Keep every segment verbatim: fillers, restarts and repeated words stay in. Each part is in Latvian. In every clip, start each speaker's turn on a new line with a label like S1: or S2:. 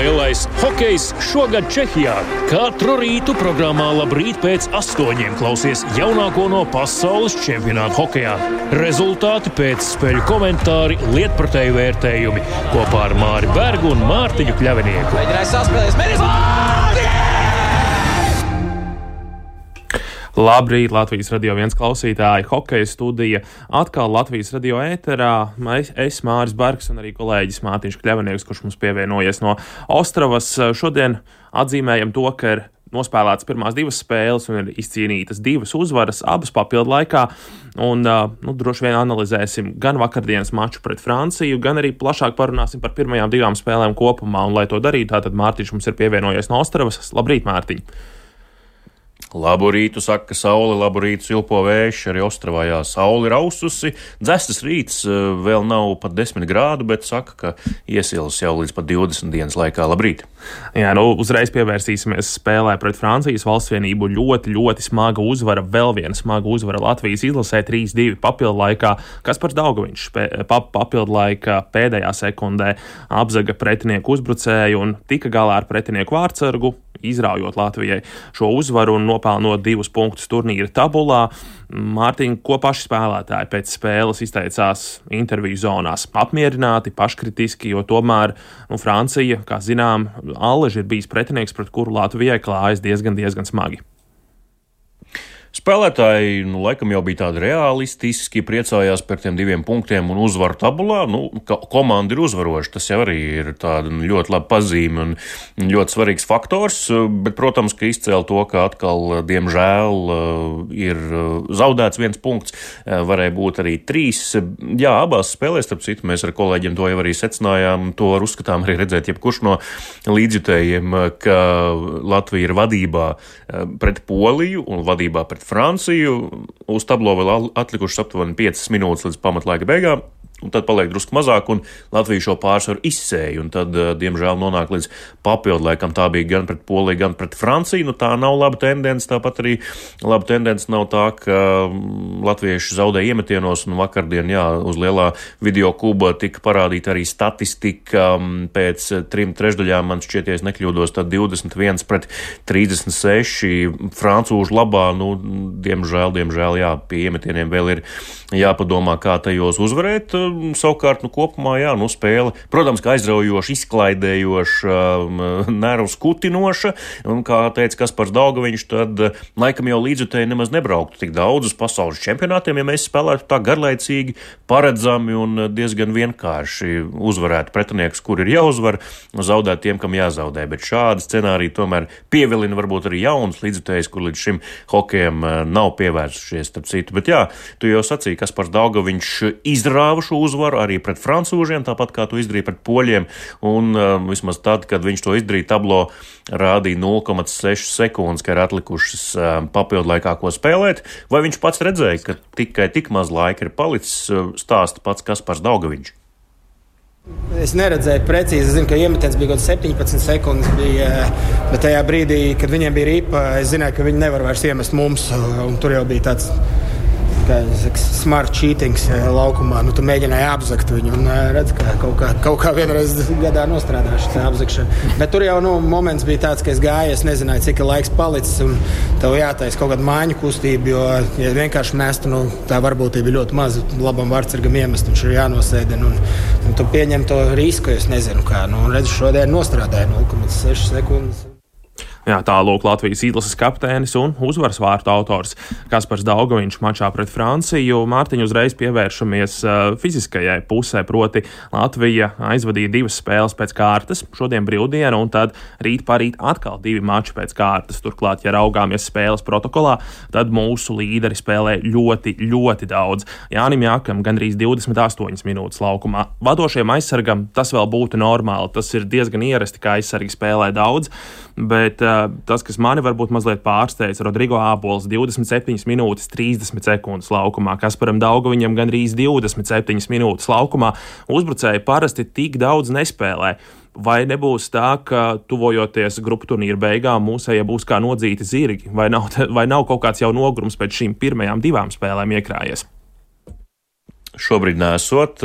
S1: Lielais hokejs šogad Čehijā. Katru rītu programmā Labrīt pēc astoņiem klausies jaunāko no pasaules čempionāta hokejā. Rezultāti pēc spēļu komentāri, lietpratēju vērtējumi kopā ar Māri Bergu un Mārtiņu Kļavinieku.
S2: Mēģināja saspēlēs, mēģinās!
S3: Labrīt, Latvijas Radio viens klausītāji, hokeja studija. Atkal Latvijas Radio ēterā. Es, es Māris Bergs un arī kolēģis Mārtiņš Kļavinieks, kurš mums pievienojies no Ostravas. Šodien atzīmējam to, ka ir nospēlētas pirmās divas spēles un ir izcīnītas divas uzvaras, abas papildu laikā. Un, nu, droši vien analizēsim gan vakardienas maču pret Franciju, gan arī plašāk parunāsim par pirmajām divām spēlēm kopumā. Un, lai to darītu, tātad Mārtiņš mums ir pievienojies no Ostravas. Labrīt, Mārtiņ!
S4: Labu rītu, saka saule, labu rītu silpo vējš, arī Ostravā, jā, saule ir aususi, dzestas rīts, vēl nav pat desmit grādu, bet saka, ka iesils jau līdz pat divdesmit dienas laikā. Labrīt!
S3: Jā, nu uzreiz pievērsīsimies spēlē pret Francijas valstsvienību. Ļoti, ļoti smaga uzvara, vēl viena smaga uzvara Latvijas izlasē trīs divi papildu laikā. Kaspars Daugaviņš pap, papildu laikā pēdējā sekundē apzaga pretinieku uzbrucēju un tika galā ar pretinieku vārtsargu, izraujot Latvijai šo uzvaru un nopelnot divus punktus turnīra tabulā. Mārtiņ, ko paši spēlētāji pēc spēles izteicās interviju zonās? Apmierināti, paškritiski, jo tomēr nu, Francija, kā zinām, allaži ir bijis pretinieks, pret kuru Latvijai klājas diezgan, diezgan smagi.
S4: Spēlētāji, nu, laikam jau bija tādi realistiski, priecājās par tiem diviem punktiem un uzvaru tabulā. Nu, komanda ir uzvaroša, tas jau arī ir tāda ļoti laba pazīme un ļoti svarīgs faktors, bet, protams, ka izcēla to, ka atkal, diemžēl, ir zaudēts viens punkts, varēja būt arī trīs. Jā, abās spēlēs, starp citu, mēs ar kolēģiem to jau arī secinājām, to var uzskatām arī redzēt jebkurš no līdzjutējiem, ka Latvija ir vadībā pret Poliju un vadībā pret Franciju. Uz tablo vēl atlikušas aptuveni piecas minūtes līdz pamatlaika beigām, un tad paliek drusku mazāk, un Latvija šo pārsvaru izsēja, un tad, diemžēl, nonāk līdz papildu laikam. Tā bija gan pret Poliju, gan pret Franciju. Nu, tā nav laba tendence, tāpat arī laba tendence nav tā, ka latvieši zaudē iemetienos, un vakardien, jā, uz lielā video kuba tika parādīta arī statistika pēc trim trešdaļām, man šķieties nekļūdos, tad divdesmit viens pret trīsdesmit seši francūžu labā. Nu, diemžēl, diemžēl, jā, pie iemetieniem vēl ir jāpadomā, kā tajos uzvarēt. Savukārt, nu, kopumā, jā, nu, spēle, protams, ka aizraujoša, izklaidējoša, nervu skutinoša, un, kā teica Kaspars Daugaviņš, tad laikam jau līdzjutēji nemaz nebrauktu tik daudz uz pasaules čempionātiem, ja mēs spēlētu tā garlaicīgi, paredzami un diezgan vienkārši uzvarētu pretiniekus, kur ir jāuzvar, zaudēt tiem, kam jāzaudē, bet šādi scenāriji tomēr pievilina varbūt arī jauns līdzjutējs, kur līdz šim hokejam nav pievērsušies, starp citu. Bet jā, tu jau sacīji, Kaspars Daugaviņš izrāva šo uzvaru arī pret francūžiem, tāpat kā to izdarīja pret poļiem, un uh, vismaz tad, kad viņš to izdarīja, tablo rādīja nulle komats seši sekundes, ka ir atlikušas uh, papildu laikā, ko spēlēt. Vai viņš pats redzēja, ka tikai tik maz laika ir palicis, uh, stāsta pats Kaspars Daugaviņš?
S5: Es neredzēju precīzi, es zinu, ka iemetiens bija kaut septiņpadsmit sekundes, bija, bet tajā brīdī, kad viņiem bija ripa, es zināju, ka viņi nevar vairs iemest mums, un tur jau bija tāds, kā saka, smart cheatings laukumā. Nu, tu mēģināji apzakt viņu un redz, ka kaut kā, kaut kā vienreiz gadā nostrādāšu tā apzakšana. Bet tur jau, nu, moments bija tāds, ka es gāju, es nezināju, cik ir laiks palicis, un tev jātais kaut kāda māņu kustība, jo, ja vienkārši mestu, nu, tā varbūtība ir ļoti maza, labam vārtsargam iemest, viņš ir jānosēdina, un, un tu pieņem to risku, es nezinu kā, nu, un redz, šodien nostrādāja nulle komats seši sekundes.
S3: Jā, tālūk Latvijas izlases kapteinis un uzvaras vārtu autors Kaspars Daugaviņš mačā pret Franciju. Mārtiņu, uzreiz pievēršamies uh, fiziskajai pusē, proti Latvija aizvadīja divas spēles pēc kārtas, šodien brīvdiena, un tad rīt parīt atkal divi mači pēc kārtas. Turklāt, ja raugāmies spēles protokolā, tad mūsu līderi spēlē ļoti, ļoti daudz. Jānim Jākam gandrīz divdesmit astoņas minūtes laukumā. Vadošajam aizsargam tas vēl būtu normāli, tas ir diezgan ierasti, ka aizsargi spēlē daudz, bet uh, tas, kas mani varbūt mazliet pārsteidz, Rodrigo Ābols divdesmit septiņas minūtes trīsdesmit sekundes laukumā, Kasparam Daugaviņam gandrīz divdesmit septiņas minūtes laukumā. Uzbrucēji parasti tik daudz nespēlē. Vai nebūs tā, ka tuvojoties grupu turnīra beigām mūsējie būs kā nodzīti zirgi, vai nav, vai nav kaut kāds jau nogurums pēc šīm pirmajām divām spēlēm iekrājies?
S4: Šobrīd nesot.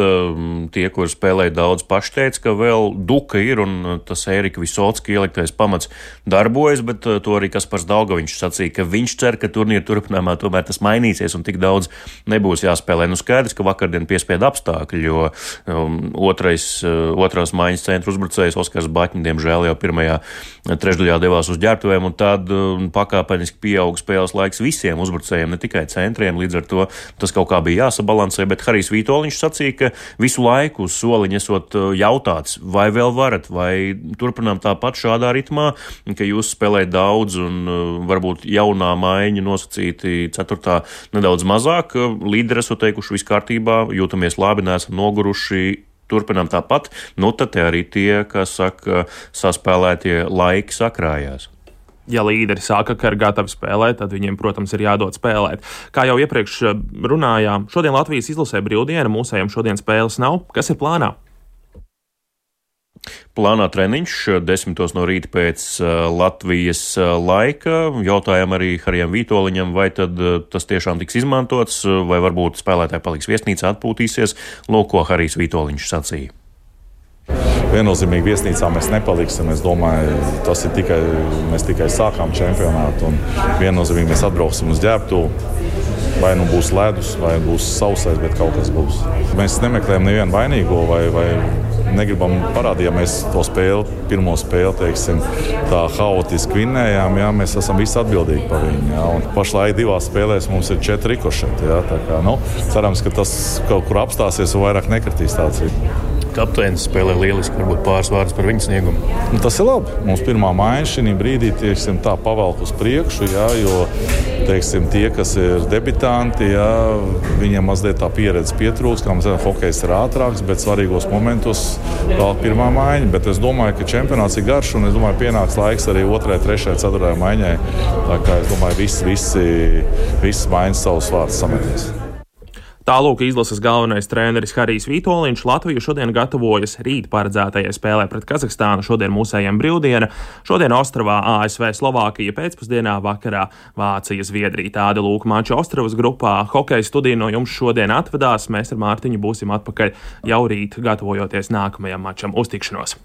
S4: Tie, kur spēlēja daudz, paši teica, ka vēl duka ir un tas Ērika Visocka ieliktais pamats darbojas, bet to arī Kaspars Daugaviņš sacīja, ka viņš cer, ka turnīra turpinājumā tomēr tas mainīsies un tik daudz nebūs jāspēlē. Nu skaidrs, ka vakardien piespieda apstākļi, jo um, otrais, uh, otrās maiņas centra uzbrucējs Oskars Baķņi, diemžēl jau pirmajā trešdaļā devās uz ģērbtuvēm un tad um, pakāpeniski pieauga spēles laiks visiem uzbrucējiem, ne tikai centriem, līdz ar to tas kaut kā bija jāsabalansē, bet Harijs Vitoļņš sacīja, ka visu laiku uz soliņa esot jautāts, vai vēl varat, vai turpinām tāpat šādā ritmā, ka jūs spēlējat daudz un varbūt jaunā maiņa nosacīti ceturtā nedaudz mazāk. Līderi esot teikuši viss kārtībā, jūtamies labi, neesam noguruši, turpinām tāpat. Nu, tad te arī tie, kas saka, saspēlētie laiki sakrājās.
S3: Ja līderi sāka, ka ir gatavi spēlēt, tad viņiem, protams, ir jādod spēlēt. Kā jau iepriekš runājām, šodien Latvijas izlasē brīvdiena, mūsējiem šodien spēles nav. Kas ir plānā?
S4: Plānā treniņš desmitos no rīta pēc Latvijas laika. Jautājām arī Harijam Vitoļņam, vai tad tas tiešām tiks izmantots, vai varbūt spēlētāji paliks viesnīcā, atpūtīsies. Lūk, ko Harijs Vitoļņš sacīja.
S6: Viennozīmīgi viesnīcā mēs nepaliksim. Es domāju, tas ir tikai, mēs tikai sākām čempionātu un viennozīmīgi mēs atbrauksim uz ģērbtuvi. Vai nu būs ledus, vai būs sausais, bet kaut kas būs. Mēs nemeklējam nevienu vainīgo vai, vai negribam parādīt, ja mēs to spēli, pirmo spēli, teiksim, tā haotiski vinnējām, jā, mēs esam visi atbildīgi par viņu. Jā, un pašlaik divās spēlēs mums ir četri rikošeti. Jā, tā kā, nu, cerams, ka tas kaut kur apstāsies un vairāk nekritīs tāds ir.
S4: Kapteinis spēlē lieliski, varbūt pāris vārdus par viņa sniegumu.
S6: Nu, tas ir labi. Mums pirmā maiņa šī brīdī tieksim, tā pavelk uz priekšu, jā, jo teiksim, tie, kas ir debitanti, jā, viņiem mazliet tā pieredze pietrūks, kā mēs zinām, hokejs ir ātrāks, bet svarīgos momentos vēl pirmā maiņa. Bet es domāju, ka čempionāts ir garš un es domāju, pienāks laiks arī otrai, trešai, ceturtajai maiņai. Tā kā es domāju, visi, visi, visi maiņas savus vārdus sametīs.
S3: Tālūk izlases galvenais treneris Harijs Vitoļņš. Latvija šodien gatavojas rīt paredzētajai spēlē pret Kazahstānu. Šodien mūsējiem brīvdiena. Šodien Ostravā A S V Slovākija, pēcpusdienā vakarā Vācija Zviedrija. Tāda lūk mača Ostravas grupā. Hokeja studija no jums šodien atvedās. Mēs ar Mārtiņu būsim atpakaļ jau rīt, gatavojoties nākamajam mačam. Uz tikšanos!